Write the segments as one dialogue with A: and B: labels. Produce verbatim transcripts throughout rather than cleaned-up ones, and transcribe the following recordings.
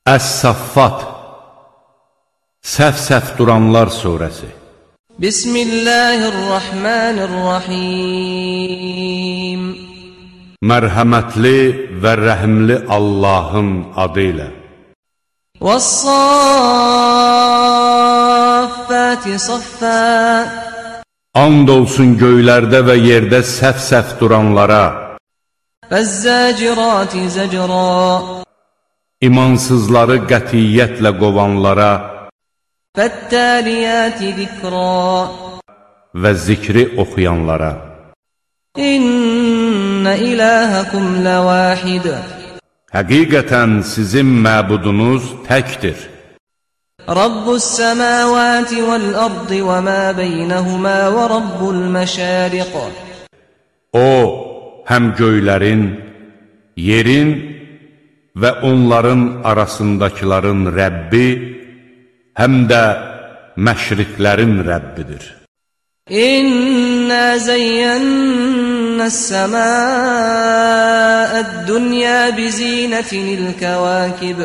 A: Əs-Saffat Səf-səf duranlar surəsi.
B: Bismillahirrahmanirrahim.
A: Mərhəmətli və rəhimli Allahın adı ilə.
B: Vəs-saffati saffā.
A: And olsun göylərdə və yerdə səf-səf duranlara.
B: Vəz-zəcirati zəcrā.
A: İmansızları qətiyyətlə qovanlara.
B: Fəttəliyəti zikrā.
A: Və zikri oxuyanlara.
B: İnnə iləhəkum ləvahid.
A: Həqiqətən sizin məbudunuz təkdir.
B: Rabbus-səməvəti vəl-ardı və mə beynəhumə və rabbul-məşəriq.
A: O, həm göylərin, yerin və onların arasındakiların Rəbbi, həm də məşriqlərin Rəbbidir.
B: İnnə zeyyənnəs-səmâəd-dünya bizinətinil-kəvâkib.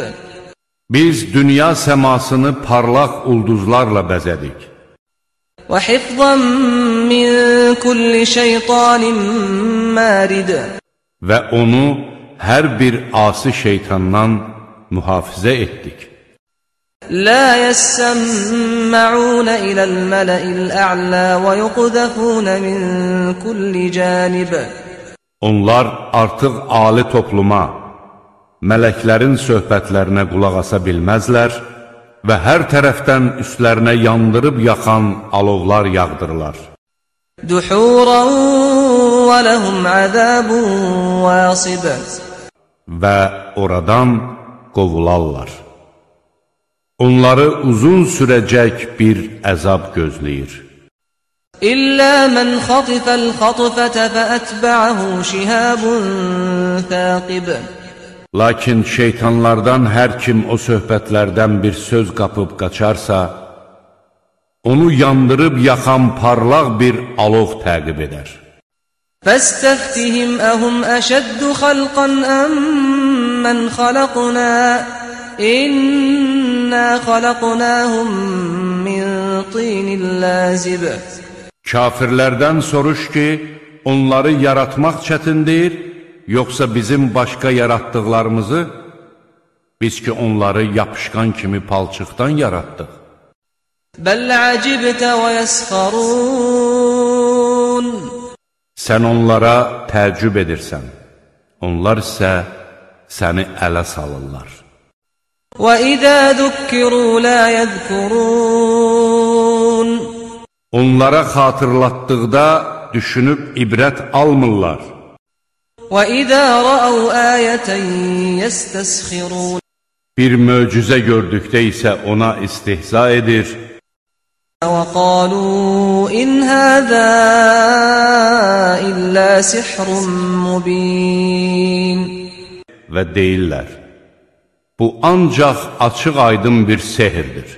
A: Biz dünya səmasını parlaq ulduzlarla bəzədik.
B: Və hifzən min kulli şeytanin mərid. Və
A: onu hər bir asi şeytandan mühafizə etdik.
B: Lə yəssəmma'unə iləl-mələ'il-ə'lə və yuqdəfunə min kulli cənib.
A: Onlar artıq ali topluma, mələklərin söhbətlərinə qulaq asa bilməzlər və hər tərəfdən üstlərinə yandırıb yaxan alovlar yağdırırlar.
B: Duhuran və ləhum əzəbun vəsib.
A: Və oradan qovularlar. Onları uzun sürəcək bir əzab gözləyir.
B: İllə mən xatifəl xatifətə fəətbə'əhu şihabun thəqib.
A: Lakin şeytanlardan hər kim o söhbətlərdən bir söz qapıb qaçarsa, onu yandırıb yaxan parlaq bir alov təqib edər.
B: Fəstəftihim əhum əşəddu xalqan əmmən xalaqna. İnnə xalaqnahum min tinil lazib.
A: Kafirlərdən soruş ki, onları yaratmaq çətindir, yoxsa bizim başqa yaratdıqlarımızı? Biz ki, onları yapışqan kimi palçıqdan yaratdıq.
B: Bəl əcibtə və yəsxarun.
A: Sən onlara təəccüb edirsən, onlar isə səni ələ salırlar.
B: Və idə zükkiru lə yəzkurun.
A: Onlara xatırlatdıqda düşünüb ibrət almırlar.
B: Və idə rəəv əyətən yəstəsxirun.
A: Bir möcüzə gördükdə isə ona istihza edir.
B: Və qalu in həzə illə sihrun mubin.
A: Və deyirlər, bu ancaq açıq aydın bir sehirdir.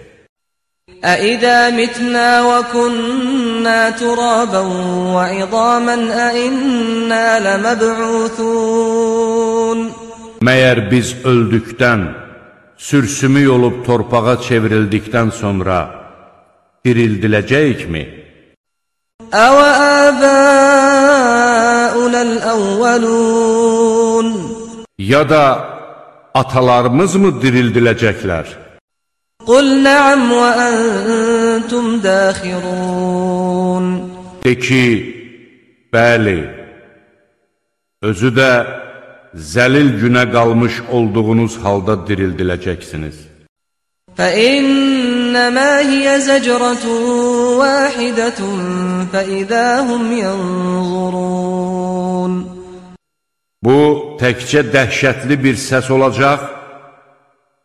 B: Əidə mitnə və künnə turabən və idamən əinnə ləməb'uthun.
A: Məyər biz öldükdən, sürsümük olub torpağa çevrildikdən sonra dirildiləcəyikmi?
B: Əvə əbəunəl əvvəlun.
A: Ya da atalarımız mı dirildiləcəklər?
B: Qul nə'əm və əntum dəxirun.
A: De ki, bəli, özü də zəlil günə qalmış olduğunuz halda dirildiləcəksiniz.
B: فَإِنَّمَا هِيَ زَجْرَةٌ وَاحِدَةٌ فَإِذَا هُمْ يَنْظُرُونَ.
A: Bu, təkcə dəhşətli bir səs olacaq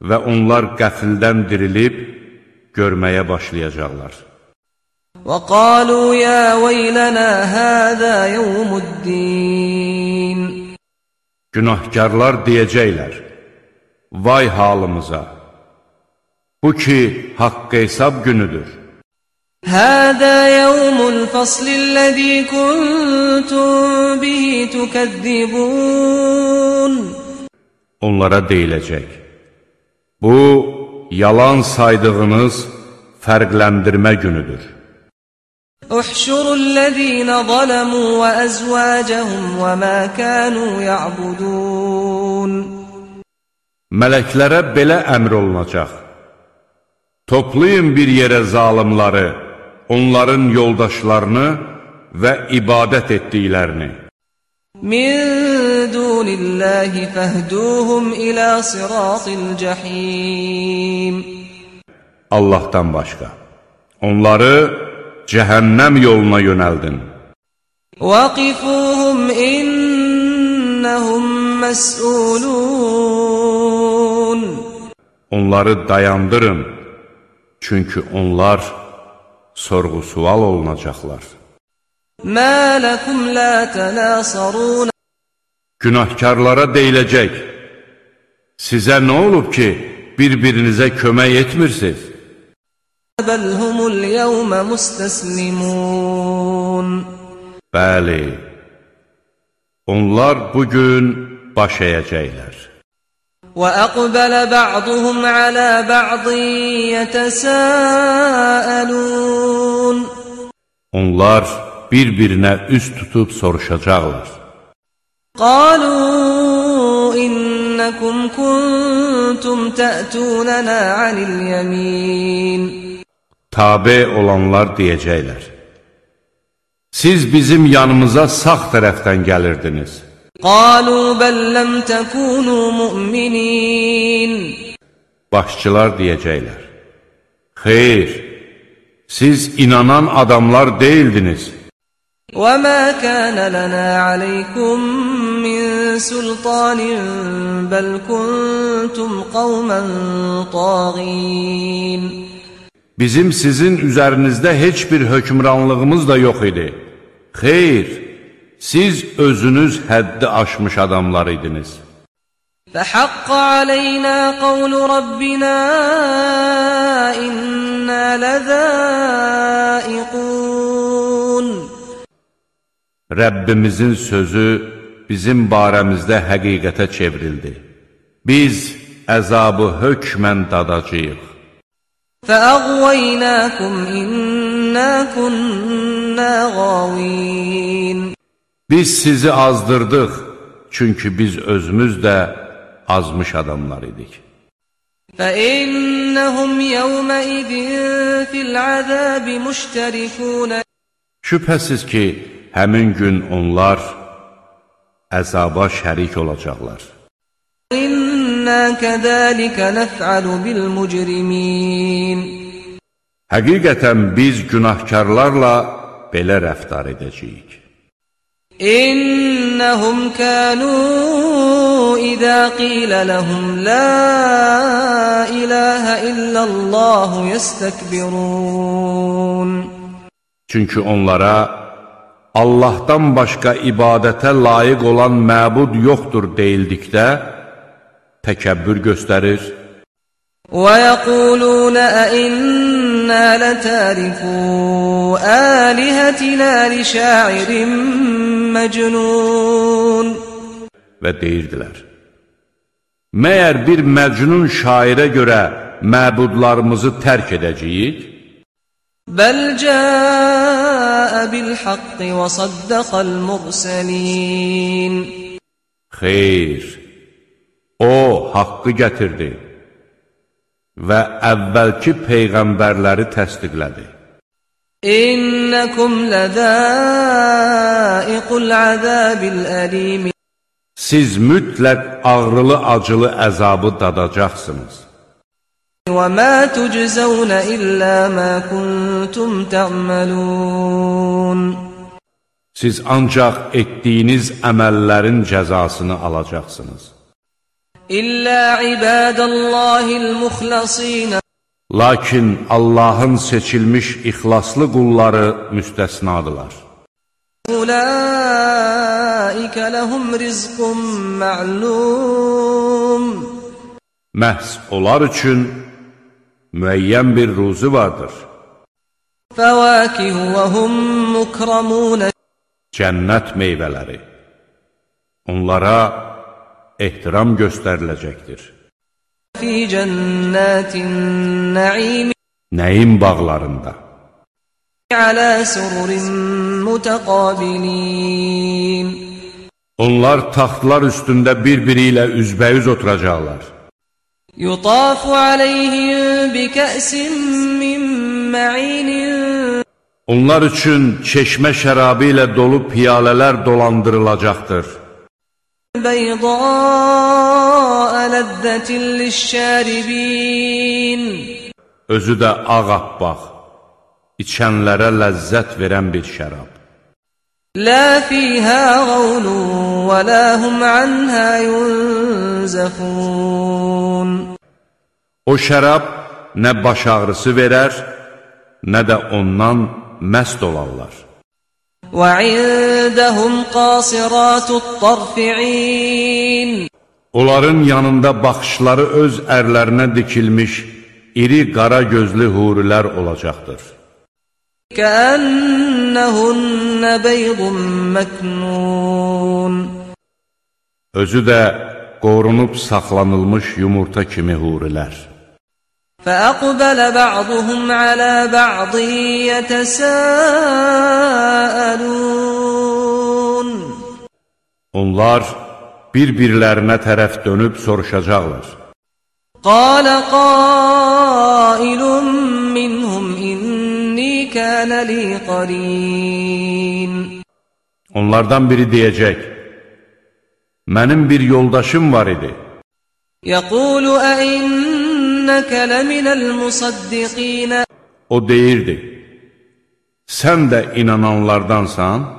A: və onlar qəfildən dirilib görməyə başlayacaqlar.
B: وَقَالُوا يَا وَيْلَنَا هَذَا يَوْمُ الدِّينِ.
A: Günahkarlar deyəcəklər, vay halımıza, bu ki, haqq hesab günüdür.
B: هَذَا يَوْمُ الْفَصْلِ الَّذ۪ي كُنْتُمْ بِهِ تُكَذِّبُونَ.
A: Onlara deyiləcək, Bu, yalan saydığınız fərqləndirmə günüdür.
B: احشروا الذين ظلموا وأزواجهم وما كانوا يعبدون
A: Mələklərə belə əmr olunacaq: toplayın bir yerə zalimları, onların yoldaşlarını və ibadət etdiklərini.
B: من دون الله فاهدوهم إلى صراط الجحيم
A: Allahdan başqa. Onları cəhənnəm yoluna yönəldin.
B: وقفوهم إنهم مسؤولون
A: Onları dayandırın, çünki onlar sorğu-sual olunacaqlar.
B: ما لكم لا تناصرون
A: Günahkarlara deyiləcək: sizə nə olub ki, bir-birinizə kömək etmirsiniz?
B: بل هم اليوم مستسلمون
A: Bəli, onlar bugün baş əyəcəklər.
B: وأقبل بعضهم على بعض يتساءلون
A: Onlar bir-birinə üz tutub soruşacaqlar.
B: قالوا إنكم كنتم تأتوننا عن اليمين
A: Tabe olanlar deyəcəklər: siz bizim yanımıza sağ tərəfdən gəlirdiniz.
B: قالوا بل لم تكونوا مؤمنين
A: Başçılar deyəcəklər: xeyr, siz inanan adamlar deyildiniz.
B: وما كان لنا عليكم من سلطان بل كنتم قوما طاغين
A: Bizim sizin üzərinizdə heç bir hökmranlığımız da yox idi. Xeyr, siz özünüz həddi aşmış adamlar idiniz.
B: فحق علينا قول ربنا إنا لذائقون
A: Rəbbimizin sözü bizim barəmizdə həqiqətə çevrildi. Biz əzabı hökmən dadacağıq.
B: فأغويناكم إنا كنا غاوين
A: Biz sizi azdırdıq, çünki biz özümüz də azmış adamlar idik.
B: فإنهم يومئذ في العذاب مشتركون
A: Şübhəsiz ki, həmin gün onlar əzaba şərik olacaqlar.
B: إنا كذلك نفعل بالمجرمين
A: Həqiqətən biz günahkarlarla belə rəftar edəcəyik.
B: إنهم كانوا إذا قيل لهم لا إله إلا الله يستكبرون
A: Çünki onlara Allahdan başqa ibadətə layiq olan məbud yoxdur deyildikdə təkəbbür göstərir.
B: ويقولون أئنا لتاركو آلهتنا لشاعر مجنون
A: Və deyirdilər: məyər bir məcnun şairə görə məbudlarımızı tərk edəcəyik?
B: بل جاء بالحق وصدق المرسلين
A: Xeyr, o haqqı gətirdi və əvvəlki peyğəmbərləri təsdiqlədi.
B: إنكم لذائق العذاب الأليم
A: Siz mütləq ağrılı-acılı əzabı dadacaqsınız.
B: وما تجزون إلا ما كنتم تعملون
A: Siz ancaq etdiyiniz əməllərin cəzasını alacaqsınız.
B: إلا عباد الله المخلصين
A: Lakin Allahın seçilmiş ixlaslı qulları müstəsnadılar.
B: أولئك لهم رزق معلوم
A: Məhz onlar üçün müəyyən bir ruzu vardır.
B: فواكه وهم مكرمون
A: Cənnət meyvələri. Onlara ehtiram göstəriləcəkdir.
B: في في جنات النعيم
A: Nəyin bağlarında?
B: على سرر متقابلين
A: Onlar taxtlar üstündə bir-biri ilə üzbəüz oturacaqlar.
B: يطاف عليهم بكأس من معين
A: Onlar üçün çeşmə şərabı ilə dolu piyalələr dolandırılacaqdır.
B: بيضاء لذة للشاربين
A: Özü də ağappaq, içənlərə ləzzət verən bir şərab.
B: لا فيها غول ولا هم عنها ينزفون
A: O şərab nə baş ağrısı verər, nə də ondan məst olarlar.
B: وعندهم قاصرات الطرف عين
A: Onların yanında baxışları öz ərlərinə dikilmiş iri qara gözlü hurilər olacaqdır.
B: كأنهن بيض مكنون
A: Özü də qorunub saxlanılmış yumurta kimi hurilər.
B: فأقبل بعضهم على بعض يتساءلون
A: Onlar bir-birlərinə tərəf dönüb soruşacaqlar.
B: قال قائل منهم إني كان لي قرين
A: Onlardan biri deyəcək, mənim bir yoldaşım var idi.
B: يقول أئنك لمن المصدقين
A: O deyirdi, sən də inananlardansan?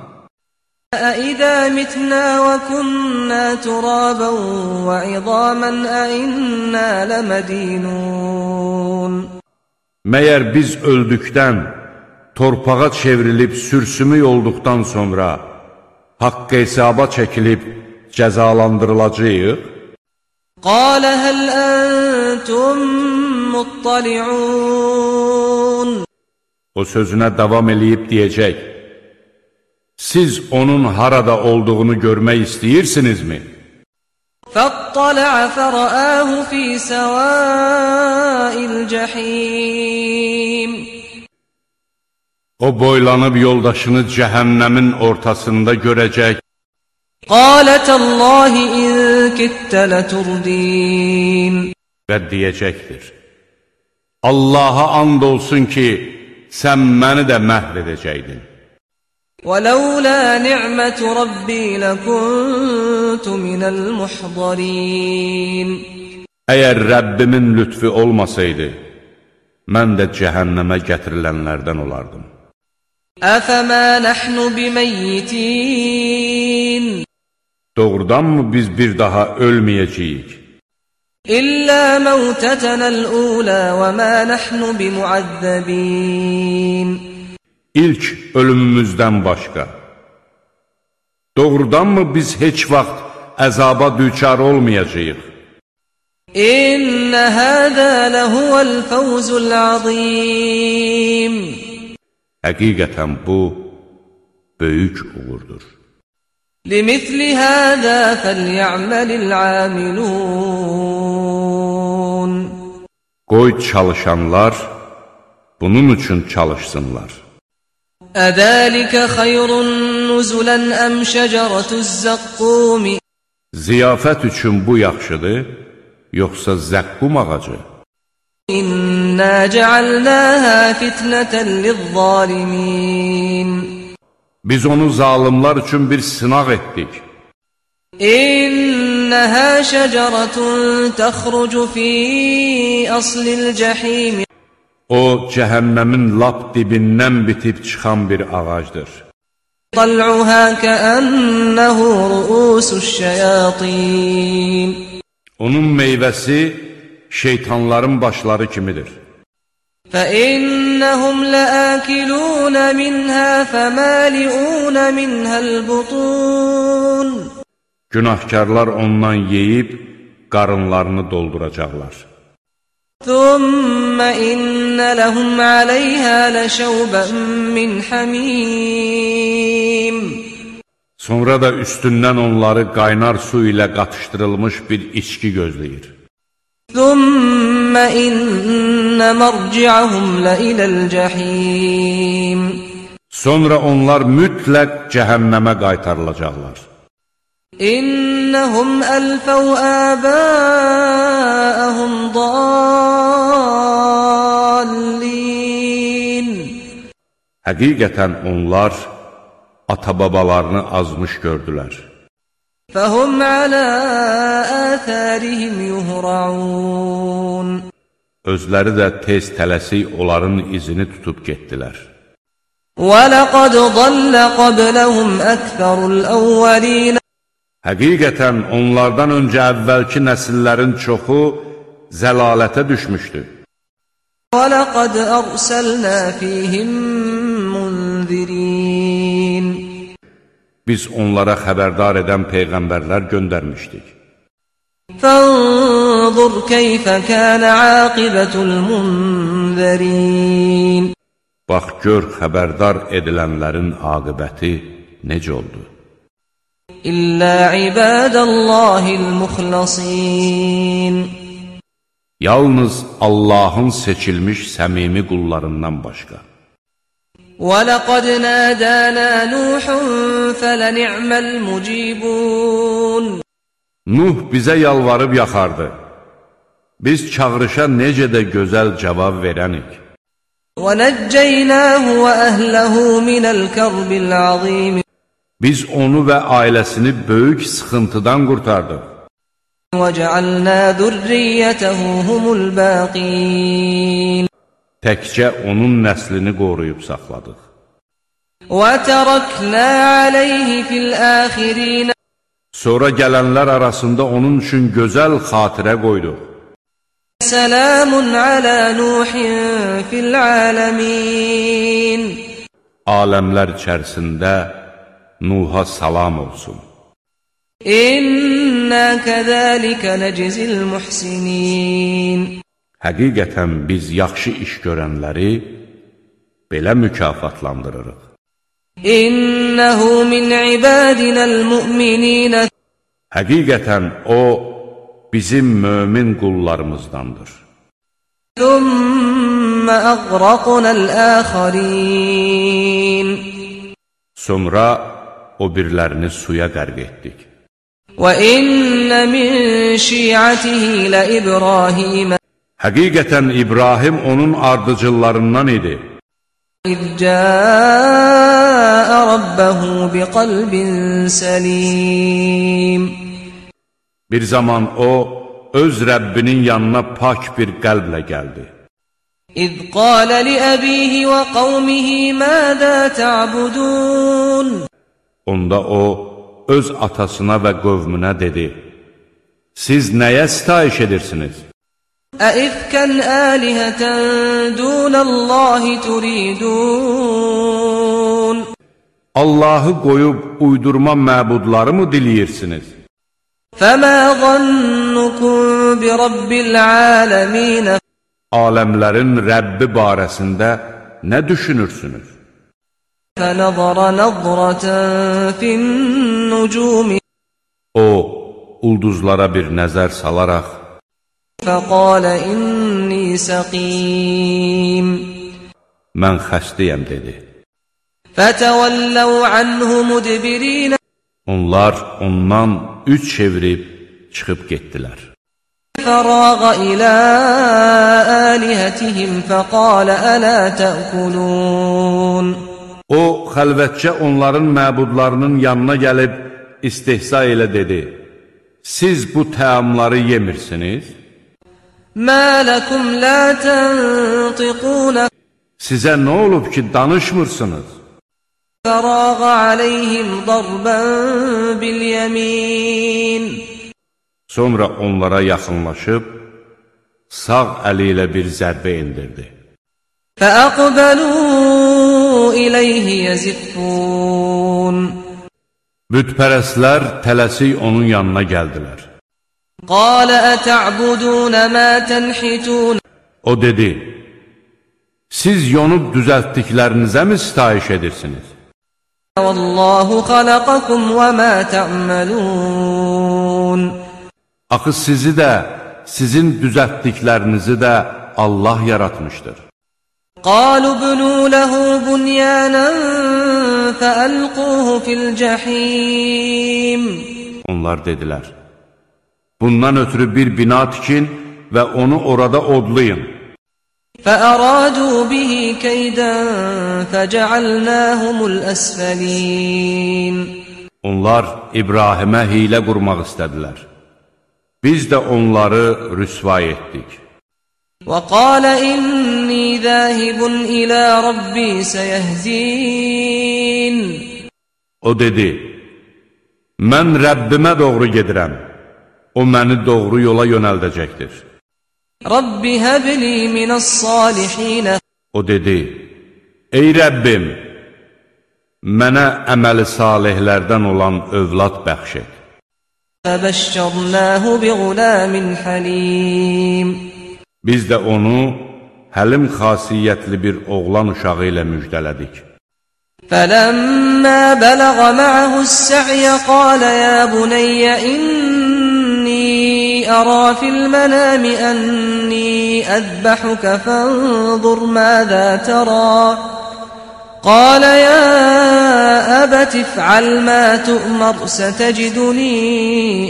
B: أئذا متنا وكنا ترابا وعظاما أئنا لمدينون
A: Məyər biz öldükdən, torpağa çevrilib sürsümük olduqdan sonra haqq hesaba çəkilib cəzalandırılacağıq?
B: قال هل أنتم مطلعون
A: O sözünə davam eləyib deyəcək, siz onun harada olduğunu görmək istəyirsinizmi?
B: فاطلع فرآه في سواء الجحيم
A: O boylanıb yoldaşını cəhənnəmin ortasında görəcək
B: قال تالله إن كدت لتردين
A: və deyəcəkdir, Allaha and olsun ki, sən məni də məhv edəcəkdin.
B: ولولا نعمة ربي لكنت من المحضرين
A: Əgər Rəbbimin lütfi olmasaydı, mən də cəhənnəmə gətirilənlərdən olardım.
B: أفما نحن بميتين
A: Doğrudanmı biz bir daha ölməyəcəyik?
B: إلا موتتنا الأولى وما نحن بمعذبين
A: İlk ölümümüzdən başqa. Doğrudanmı biz heç vaxt əzaba düçar olmayacağıq?
B: إن هذا لهو الفوز العظيم
A: Həqiqətən bu, böyük uğurdur.
B: لمثل هذا فليعمل العاملون
A: Qoy çalışanlar bunun üçün çalışsınlar.
B: أذلك خير نزلا أم شجرة الزقوم
A: Ziyafət üçün bu yaxşıdır, yoxsa zəqqum ağacı?
B: إنا جعلناها فتنة للظالمين
A: Biz onu zalimlar üçün bir sınaq etdik.
B: إنها شجرة تخرج في أصل الجحيم
A: O, cəhənnəmin lap dibindən bitib çıxan bir ağacdır.
B: طلعها كأنه رؤوس الشياطين
A: Onun meyvəsi şeytanların başları kimidir.
B: فإنهم لآكلون منها فمالئون منها البطون
A: Günahkarlar ondan yeyib qarınlarını dolduracaqlar.
B: ثم إن لهم عليها لشوبا من حميم
A: Sonra da üstündən onları qaynar su ilə qatışdırılmış bir içki gözləyir.
B: ثم إن مرجعهم لإلى الجحيم.
A: Sonra onlar mütləq cəhənnəmə qaytarılacaqlar.
B: İnnəhum əlfəv əbəəhum dallin.
A: Həqiqətən onlar ata-babalarını azmış gördülər.
B: Fəhum alə ətərihim yuhra'un.
A: Özləri də tez tələsik onların izini tutub getdilər.
B: وَلَقَدْ ضَلَّ قَبْلَهُمْ أَكْثَرُ الْأَوَّلِينَ.
A: Həqiqətən onlardan öncə əvvəlki nəsillərin çoxu zəlalətə düşmüşdü.
B: وَلَقَدْ أَرْسَلْنَا فِيهِمْ مُنذِرِينَ.
A: Biz onlara xəbərdar edən peyğəmbərlər göndərmişdik.
B: فَانظُرْ كَيْفَ كَانَ عَاقِبَةُ الْمُنذَرِينَ.
A: Bax, gör xəbərdar edilənlərin aqibəti necə oldu?
B: İllə ibadəllahil muxlasin.
A: Yalnız Allahın seçilmiş səmimi qullarından başqa.
B: وَلَقَدْ نَادَانَا نُوحٌ فَلَنِعْمَ الْمُجِيبُونَ.
A: Nuh bizə yalvarıb yaxardı. Biz çağırışa necə də gözəl cavab verənik.
B: وَنَجَّيْنَاهُ وَأَهْلَهُ مِنَ الْكَرْبِ الْعَظِيمِ.
A: Biz onu və ailəsini böyük sıxıntıdan qurtardıq.
B: وَجَعَلْنَا ذُرِّيَّتَهُ هُمُ الْبَاقِينَ.
A: Təkcə onun nəslini qoruyub saxladıq.
B: وَتَرَكْنَا عَلَيْهِ فِي الْآخِرِينَ.
A: Sonra gələnlər arasında onun üçün gözəl xatirə qoyduq.
B: Selamun ala Nuhin fil alamin.
A: Aləmlər içərisində Nuh'a salam olsun.
B: İnna kəzəlikə nəcizil muhsinin.
A: Həqiqətən biz yaxşı iş görənləri belə mükafatlandırırıq.
B: İnnehu min ibadinəl mu'mininə.
A: Həqiqətən o bizim mömin qullarımızdandır.
B: Thumma əğraqnəl əxərin.
A: Sonra o birlərini suya qərq etdik.
B: Və innə min şi'atihi lə İbrahimə.
A: Həqiqətən İbrahim onun ardıcıllarından idi.
B: İz cəə rabbəhu biqalbin səlim.
A: Bir zaman o, öz Rəbbinin yanına pak bir qəlblə gəldi.
B: İz qalə li-əbihi və qavmihi mədə tə'budun.
A: Onda o, öz atasına və qövmünə dedi, siz nəyə sitayiş edirsiniz?
B: Əifkən əlihətən dunəllahi turidun.
A: Allahı qoyub uydurma məbudları mı diləyirsiniz?
B: Fəmə zannukum bi rabbil aləmin.
A: Aləmlərin Rəbbi barəsində nə düşünürsünüz?
B: Fənəzara nəzrətən fin-nucumi.
A: O, ulduzlara bir nəzər salaraq,
B: Fəqalə inni səqim.
A: mən xəstəyəm dedi.
B: Fətəvəlləv anhu mudbirin.
A: Onlar ondan üç çevirib çıxıb getdilər.
B: Fərağa ilə əlihətihim fəqalə ələ təəkulun.
A: O, xəlvətcə onların məbudlarının yanına gəlib istehza ilə dedi, siz bu təamları yemirsiniz?
B: Mə ləkum lə təntiqun.
A: Sizə nə olub ki, danışmırsınız?
B: Fərağa aleyhim darbən bil-yəmin.
A: Sonra onlara yaxınlaşıb, sağ əli ilə bir zərbə indirdi.
B: Fəəqbəlu iləyhi yəziffun.
A: Bütpərəslər tələsik onun yanına gəldilər.
B: Qalə ətə'budunə mə tənhitun.
A: O dedi, siz yonub düzəltdiklərinizə mi sitayiş edirsiniz?
B: Vallahu xaləqəkum və mə tə'məlun.
A: Axı sizi də, sizin düzəltdiklərinizi də Allah yaratmışdır.
B: قالوا بنوا له بنيانا فألقوه في الجحيم.
A: Onlar dedilər, bundan ötürü bir bina tikin və onu orada odlayın.
B: فأرادوا به كيدا فجعلناهم الأسفلين.
A: Onlar İbrahimə hilə qurmaq istədilər. Biz də onları rüsvay etdik.
B: وقال إني ذاهب إلى ربي سيهدين.
A: O dedi, mən Rəbbimə doğru gedirəm, o məni doğru yola yönəldəcəkdir.
B: Rabbi həbli minəs-salihin.
A: O dedi, ey Rəbbim, mənə əməli salihlərdən olan övlad bəxş et.
B: Fəbəşşərnəhu biğulamin halim.
A: Biz də onu həlim xasiyyətli bir oğlan uşağı ilə müjdələdik.
B: فَلَمَّا بَلَغَ مَعَهُ السَّعْيَ قَالَ يَا بُنَيَّ إِنِّي أَرَى فِي الْمَنَامِ أَنِّي أَذْبَحُكَ فَانظُرْ مَاذَا تَرَى قَالَ يَا أَبَتِ افْعَلْ مَا تُؤْمَرُ سَتَجِدُنِي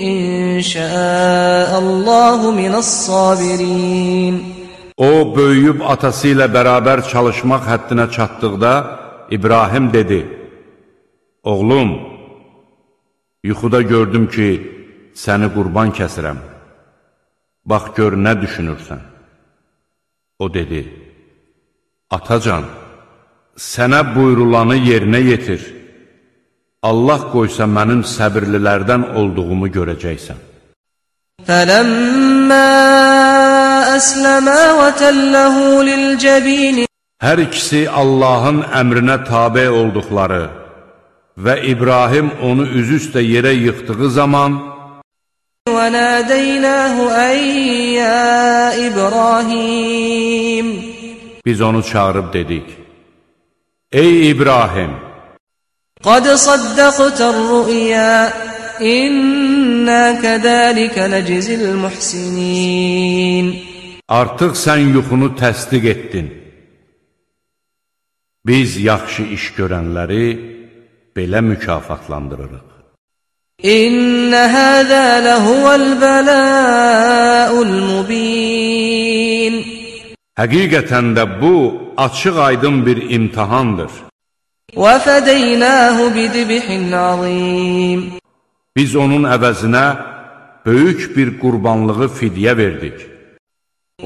B: إِن شَاءَ اللَّهُ مِنَ الصَّابِرِينَ.
A: O, böyüyüb atası ilə bərabər çalışmaq həddinə çatdıqda, İbrahim dedi, oğlum, yuxuda gördüm ki, səni qurban kəsirəm. Bax, gör, nə düşünürsən? O dedi, atacan, sənə buyrulanı yerinə yetir. Allah qoysa mənim səbirlilərdən olduğumu görəcəksən.
B: فَلَمَّا أَسْلَمَا وَتَلَّهُ لِلْجَبِينِ.
A: Hər ikisi Allahın əmrinə tabe olduqları və İbrahim onu üzüstə yerə yıxdığı zaman
B: وَنَادَيْنَاهُ أَيْ يَا إِبْرَاهِيمُ.
A: Biz onu çağırıb dedik, ey İbrahim,
B: قَدْ صَدَّقْتَ الرُّؤْيَا إِنَّا كَذَلِكَ نَجْزِي الْمُحْسِنِينَ.
A: Artıq sən yuxunu təsdiq etdin. Biz yaxşı iş görənləri belə mükafatlandırırıq.
B: İnne hâzâ lehuvel belâ'ul mubîn.
A: Həqiqətən də bu, açıq aydın bir imtihandır.
B: Və fədeynâhu bidibhin azîm.
A: Biz onun əvəzinə böyük bir qurbanlığı fidyə verdik.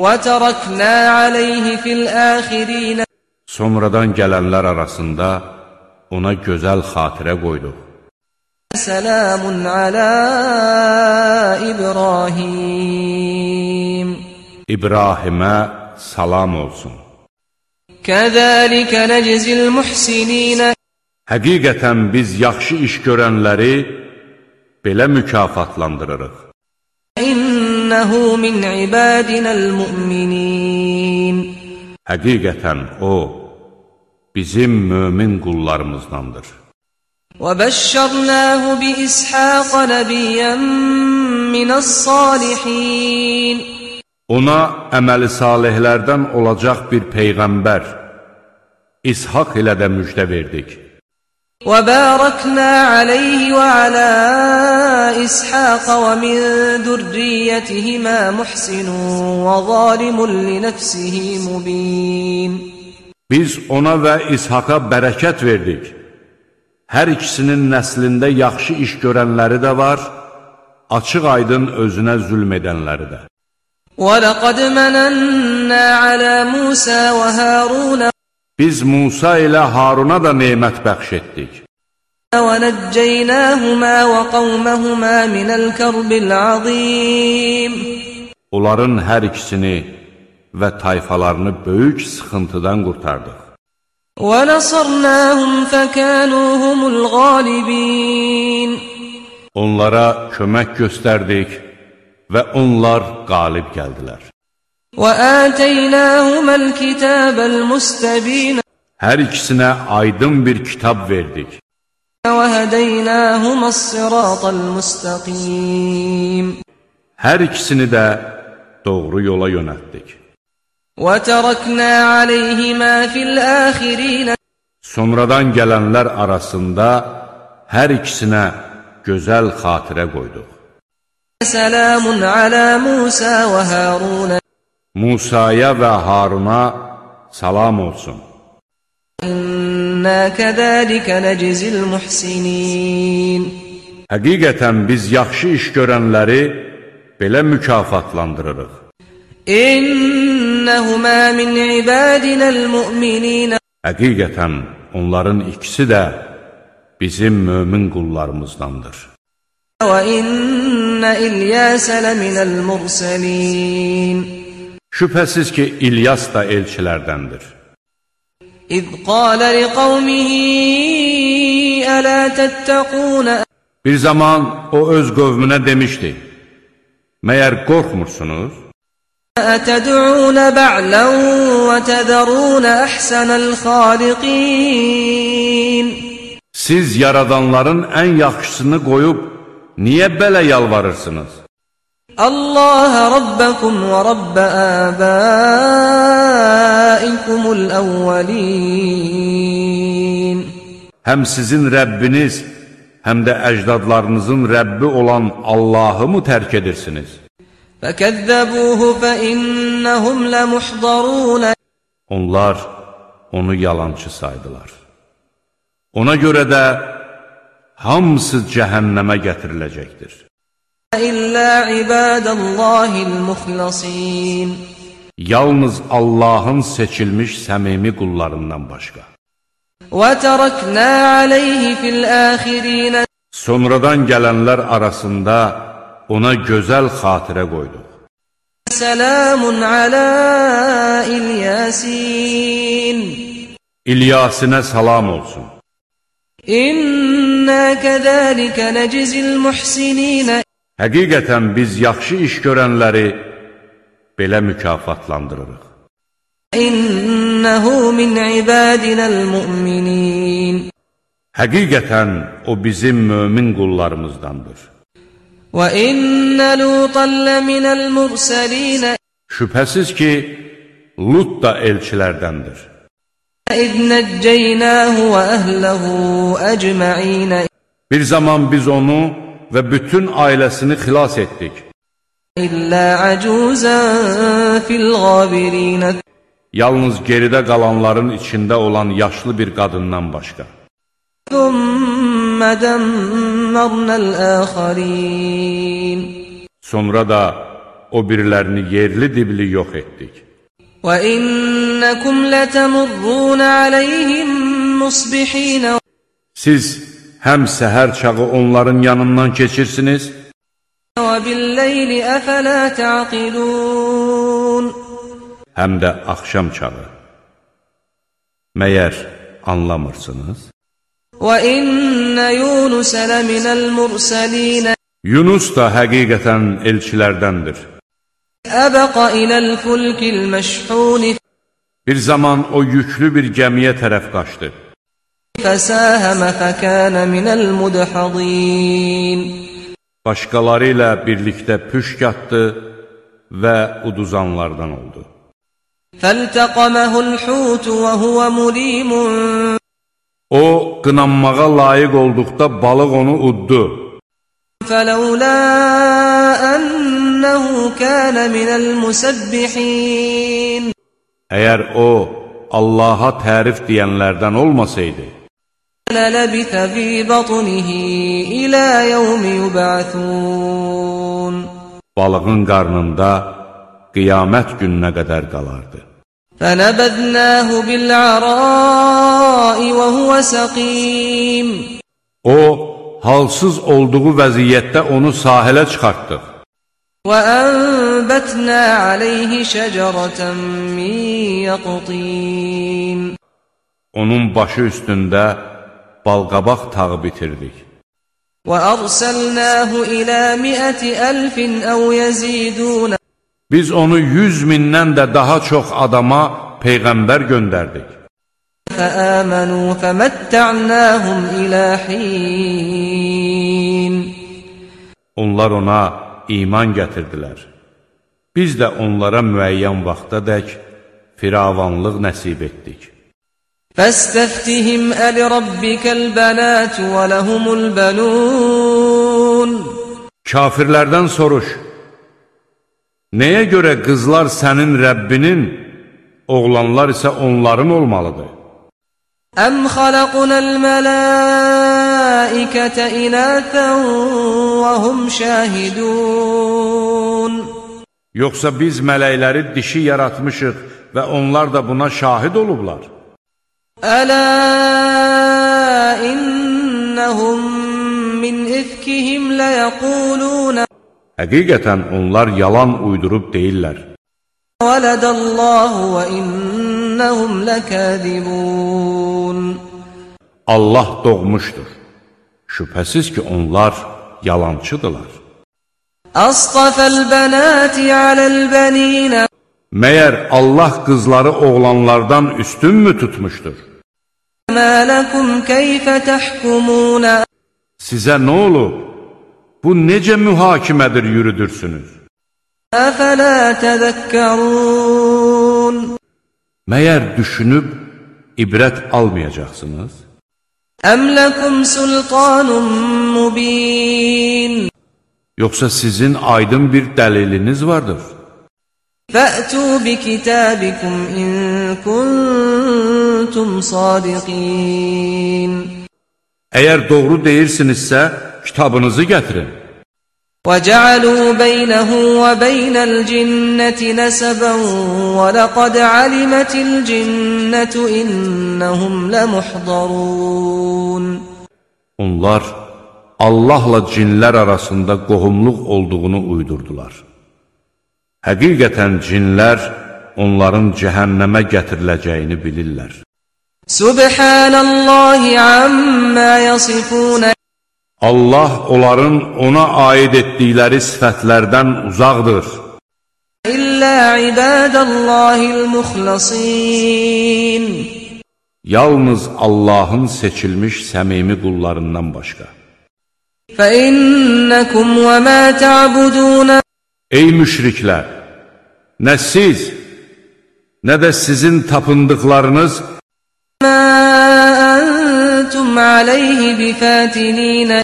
B: Və tərəknə aleyhi fil âxirîn.
A: Sonradan gələnlər arasında ona gözəl xatirə qoyduq.
B: Selamun alə İbrahim.
A: İbrahimə salam olsun.
B: Kəzəlikə nəczil muhsinîn.
A: Həqiqətən biz yaxşı iş görənləri belə mükafatlandırırıq.
B: İnnehu min ibadinəl mu'minin.
A: Həqiqətən o, bizim mömin qullarımızdandır.
B: وَبَشَّرْنَاهُ بِإِسْحَاقَ نَبِيًّا مِنَ الصَّالِحِينَ.
A: Ona əməli salihlərdən olacaq bir peyğəmbər, İshaq ilə də müjdə verdik.
B: وَبَارَكْنَا عَلَيْهِ وَعَلَى إِسْحَاقَ وَمِنْ ذُرِّيَّتِهِمَا مُحْسِنٌ وَظَالِمٌ لِنَفْسِهِ مُبِينٌ.
A: Biz ona və İshaqa bərəkət verdik. Hər ikisinin nəslində yaxşı iş görənləri də var, açıq aydın özünə zülm edənləri də.
B: وَلَقَدْ مَنَنَّا عَلَى مُوسَى وَهَارُونَ.
A: Biz Musa ilə Haruna da nemət bəxş etdik.
B: وَنَجَّيْنَاهُمَا وَقَوْمَهُمَا مِنَ الْكَرْبِ الْعَظِيمِ.
A: Onların hər ikisini və tayfalarını böyük sıxıntıdan qurtardıq.
B: وَنَصَرْنَاهُمْ فَكَانُوا هُمُ الْغَالِبِينَ.
A: Onlara kömək göstərdik və onlar qalib gəldilər.
B: وَآتَيْنَاهُمَا الْكِتَابَ الْمُسْتَبِينَ.
A: Hər ikisinə aydın bir kitab verdik.
B: وَهَدَيْنَاهُمَا الصِّرَاطَ الْمُسْتَقِيمَ.
A: Hər ikisini də doğru yola yönəltdik.
B: وَتَرَكْنَا عَلَيْهِمَا فِي الْآخِرِينَ
A: Sonradan gələnlər arasında hər ikisinə gözəl xatirə qoyduq.
B: سَلَامٌ عَلَى مُوسَى وَهَارُونَ
A: Musaya və Haruna salam olsun.
B: İnna kəzəlikə nəcizil muhsinin.
A: Həqiqətən biz yaxşı iş görənləri belə mükafatlandırırıq.
B: İnnəhumə min ibadinəl mu'minin.
A: Həqiqətən onların ikisi də bizim mömin qullarımızdandır.
B: Və innə İlyəsə ləminəl mursalin.
A: Şübhəsiz ki, İlyas da elçilərdəndir.
B: İz qalə liqavmihi ələ təttəqunə.
A: Bir zaman o öz qövmünə demişdi, məyər qorxmursunuz?
B: Ətəd'unə bə'lən və tədərunə əhsənəl xaliqin.
A: Siz yaradanların ən yaxşısını qoyub, niyə belə yalvarırsınız?
B: Allah Rabbəkum və Rabbə əbəikumul əvvəlin.
A: Həm sizin Rəbbiniz, həm də əcdadlarınızın Rəbbi olan Allahı mı tərk edirsiniz?
B: Fəkəzzəbuhu fəinnəhum ləmuhdarun.
A: Onlar onu yalancı saydılar. Ona görə də hamısı cəhənnəmə gətiriləcəkdir.
B: İllə ibadəllahil muxlasin.
A: Yalnız Allahın seçilmiş səmimi qullarından başqa.
B: Və tərəknə aleyhi fil əxirinə.
A: Sonradan gələnlər arasında ona gözəl xatirə qoyduq.
B: Səlamun alə İlyasin.
A: İlyasinə salam olsun.
B: İnnə kəzəlikə nəcizil muhsininə.
A: Həqiqətən biz yaxşı iş görənləri belə mükafatlandırırıq.
B: İnnəhu min ibadinəl mu'minin.
A: Həqiqətən o bizim mömin qullarımızdandır.
B: Və innə Lutan ləminəl mursalinə.
A: Şübhəsiz ki, Lut da elçilərdəndir.
B: İz nəccəynəhu və əhləhu əcmə'inə.
A: Bir zaman biz onu və bütün ailəsini xilas etdik.
B: İllə əcuzən fil qabirinə.
A: Yalnız geridə qalanların içində olan yaşlı bir qadından başqa.
B: Thumma dammərnəl əxərin.
A: Sonra da o birilərini yerli dibli yox etdik.
B: Və innəkum lətəmurrun aleyhim musbihinə.
A: Siz həm səhər çağı onların yanından keçirsiniz,
B: və billeyli əfələ təqilun.
A: həm də axşam çağı. Məyər anlamırsınız?
B: Və innə Yunusə ləminəl mursalinə.
A: Yunus da həqiqətən elçilərdəndir.
B: Əbəqa iləl fulkil məşhuni.
A: Bir zaman o yüklü bir gəmiyə tərəf qaçdı.
B: Fəsəhəmə fəkənə minəl mudhədin.
A: Başqaları ilə birlikdə püşk atdı və uduzanlardan oldu.
B: Fəltəqəməhul hutu və huvə mulimun.
A: O, qınanmağa layiq olduqda balıq onu uddu.
B: Fələulə ənəhu kənə minəl musəbbihin.
A: Əgər o, Allaha tərif deyənlərdən olmasaydı,
B: Lələbithə fi batnihi ilə yevmi yub'athun.
A: balığın qarnında qiyamət gününə qədər qalardı.
B: Fənəbəznəhu bil'arai və huvə səqim.
A: O, halsız olduğu vəziyyətdə onu sahilə çıxartdıq.
B: Və ənbətnə aleyhi şəcərətən min yəqtin.
A: Onun başı üstündə balqabaq tağı bitirdik.
B: Və ərsəlnəhu ilə miəti əlfin əv yəzidun.
A: Biz onu yüz mindən də daha çox adama peyğəmbər göndərdik.
B: Fəəmənu fəməttə'nəhum ilə hin.
A: Onlar ona iman gətirdilər. Biz də onlara müəyyən vaxtadək firavanlıq nəsib etdik.
B: فَاسْتَفْتِهِمْ أَلِرَبِّكَ الْبَنَاتُ وَلَهُمُ الْبَنُونَ
A: Kafirlərdən soruş, nəyə görə qızlar sənin Rəbbinin, oğlanlar isə onların olmalıdır?
B: أَمْ خَلَقْنَا الْمَلَائِكَةَ إِنَاثًا وَهُمْ شَاهِدُونَ
A: Yoxsa biz mələkləri dişi yaratmışıq və onlar da buna şahid olublar.
B: أَلَا إِنَّهُمْ مِنْ إِفْكِهِمْ لَيَقُولُونَ
A: Həqiqətən onlar yalan uydurub deyirlər.
B: وَلَدَ اللَّهُ وَإِنَّهُمْ لَكَاذِبُونَ
A: Allah doğmuşdur. Şübhəsiz ki, onlar yalancıdırlar.
B: أَصْطَفَى الْبَنَاتِ عَلَى الْبَنِينَ
A: Məyər Allah qızları oğlanlardan üstün mü tutmuşdur?
B: مَا لَكُمْ كَيْفَ تَحْكُمُونَ
A: Sizə nə olub? Bu necə mühakimədir yürüdürsünüz?
B: أَفَلَا تَذَكَّرُونَ
A: Məyər düşünüb ibrət almayacaqsınız?
B: أَمْ لَكُمْ سُلْطَانٌ مُبِينٌ
A: Yoxsa sizin aydın bir dəliliniz vardır?
B: فَأْتُوا بِكِتَابِكُمْ إِن كُنتُمْ صَادِقِينَ
A: Əgər doğru deyirsinizsə, kitabınızı gətirin.
B: وَجَعَلُوا بَيْنَهُ وَبَيْنَ الْجِنَّةِ نَسَبًا وَلَقَدْ عَلِمَتِ الْجِنَّةُ إِنَّهُمْ لَمُحْضَرُونَ
A: Onlar Allahla cinlər arasında qohumluq olduğunu uydurdular. Həqiqətən cinlər onların cəhənnəmə gətiriləcəyini bilirlər.
B: Subhanallahi amma yasifun
A: Allah onların ona aid etdikləri sifətlərdən uzaqdır.
B: İllə ibadallahil muxlasin
A: Yalnız Allahın seçilmiş səmimi qullarından başqa.
B: فَإِنَّكُمْ وَمَا تَعْبُدُونَ
A: Ey müşriklər! Nə siz, nə də sizin tapındıqlarınız
B: مَا أَنْتُمْ عَلَيْهِ بِفَاتِنِينَ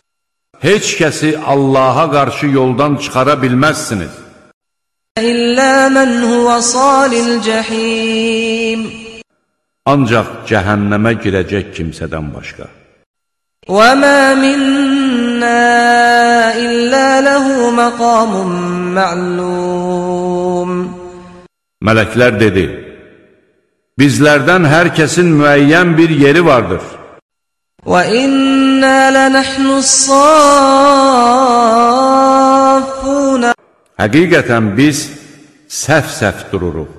A: heç kəsi Allaha qarşı yoldan çıxara bilməzsiniz.
B: إِلَّا مَنْ هُوَ صَالِ الْجَحِيمِ
A: Ancaq cəhənnəmə girəcək kimsədən başqa.
B: وَمَا مِنَّا إِلَّا لَهُ مَقَامٌ مَعْلُومٌ
A: Mələklər dedi, bizlərdən hər kəsin müəyyən bir yeri vardır.
B: وَإِنَّا لَنَحْنُ الصَّافُّونَ
A: Həqiqətən biz səf-səf dururuq.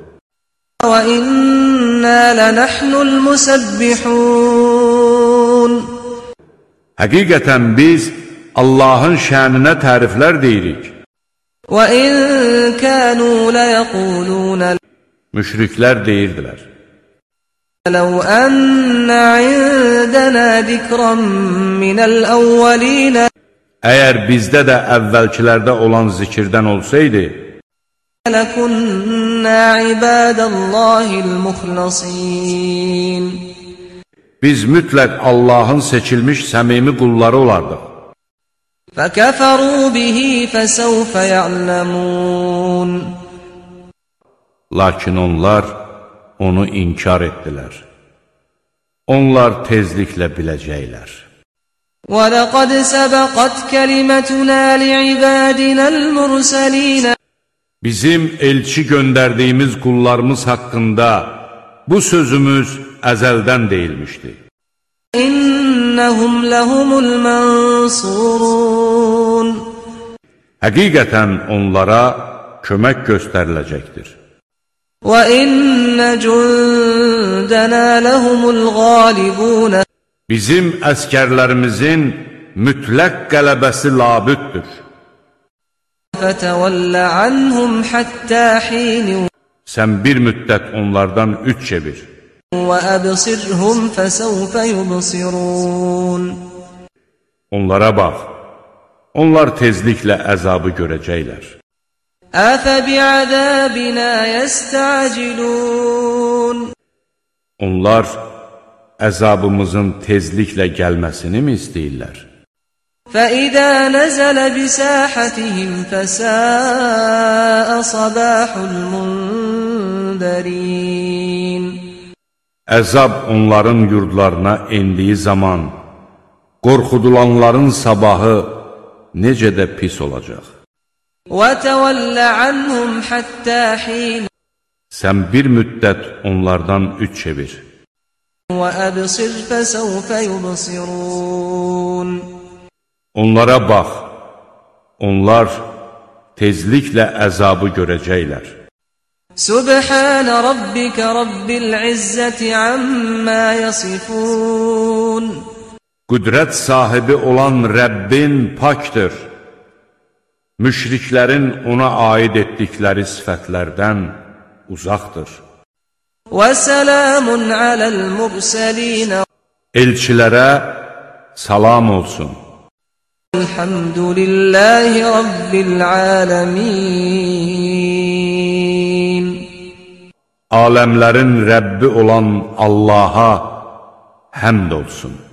B: وَإِنَّا لَنَحْنُ الْمُسَبِّحُونَ
A: Həqiqətən biz Allahın şəninə təriflər deyirik.
B: وَإِن كَانُوا لَيَقُولُونَ
A: Müşriklər deyirdilər.
B: لَوْ أَنَّ عِندَنَا ذِكْرًا مِنَ الْأَوَّلِينَ
A: Əgər bizdə də əvvəlkilərdə olan zikirdən olsaydı,
B: لَكُنَّا عِبَادَ اللَّهِ الْمُخْلَصِينَ
A: biz mütləq Allahın seçilmiş səmimi qulları olardıq.
B: فَكَفَرُوا بِهِ فَسَوْفَ يَعْلَمُونَ
A: Lakin onlar onu inkar etdilər. Onlar tezliklə biləcəklər.
B: وَلَقَدْ سَبَقَتْ كَلِمَتُنَا لِعِبَادِنَا الْمُرْسَلِينَ
A: Bizim elçi göndərdiyimiz qullarımız haqqında bu sözümüz əzəldən deyilmişdi.
B: İnnəhum ləhumul mənsurun
A: Həqiqətən onlara kömək göstəriləcəkdir.
B: Və innə cündənə ləhumul qalibun
A: Bizim əskərlərimizin mütləq qələbəsi labüddür.
B: Fətəvəllə anhum həttə xin
A: Sən bir müddət onlardan üç çevir.
B: Və əbsirhum fəsəvfə yubsirun
A: Onlara bax, onlar tezliklə əzabı görəcəklər.
B: أَفَبِعَذَابِنَا يَسْتَعْجِلُونَ
A: Onlar əzabımızın tezliklə gəlməsini mi istəyirlər?
B: فَإِذَا نَزَلَ بِسَاحَتِهِمْ فَسَاءَ صَبَاحُ الْمُنذَرِينَ
A: Əzab onların yurdlarına endiyi zaman, qorxudulanların sabahı necə də pis olacaq.
B: وَتَوَلَّ عَنْهُمْ حَتَّى حِينٍ
A: Sən bir müddət onlardan üç çevir.
B: وَأَبْصِرْ فَسَوْفَ يُبْصِرُونَ
A: Onlara bax, onlar tezliklə əzabı görəcəklər.
B: سُبْحَانَ رَبِّكَ رَبِّ الْعِزَّةِ عَمَّا يَصِفُونَ
A: Qüdrət sahibi olan Rəbbin pakdır. Müşriklərin ona aid etdikləri sifətlərdən uzaqdır.
B: وَسَلَامٌ عَلَى الْمُرْسَلِينَ
A: Elçilərə salam olsun.
B: الْحَمْدُ لِلَّهِ رَبِّ الْعَالَمِينَ
A: Aləmlərin Rəbbi olan Allaha həmd olsun.